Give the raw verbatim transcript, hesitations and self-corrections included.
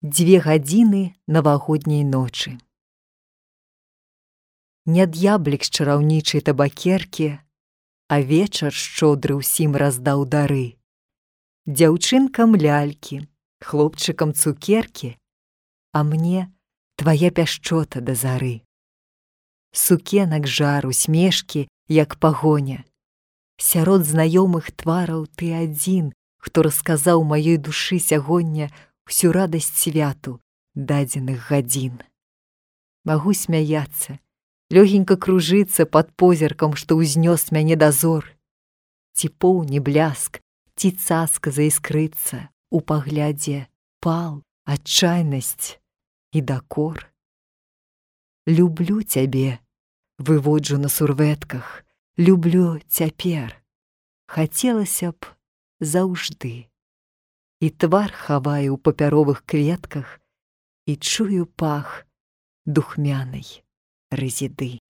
Дзве гадзіны навагодняй ночы. Не д'яблік з чараўнічай табакеркі, а вечар шчодры ўсім раздаў дары. Дзяўчынкам лялькі, хлопчыкам цукеркі, а мне твая пяшчота да зары. Сукенак жар, усмешкі, як пагоня. Сярод знаёмых твараў ты адзін, хто расказаў маёй душы сягоння всю радасць святу дадзеных гадзін. Магу смяяцца, лёгенька кружыцца пад позіркам, што ўзнёс мяне дазор. Ці поўні бляск, ці цаска заіскрыцца у паглядзе пал, адчайнасць і дакор. Люблю цябе, выводжу на сурвэтках, люблю цяпер. Хацелася б заўжды. І твар хаваю ў папяровых кветках і чую пах духмянай рэзіды.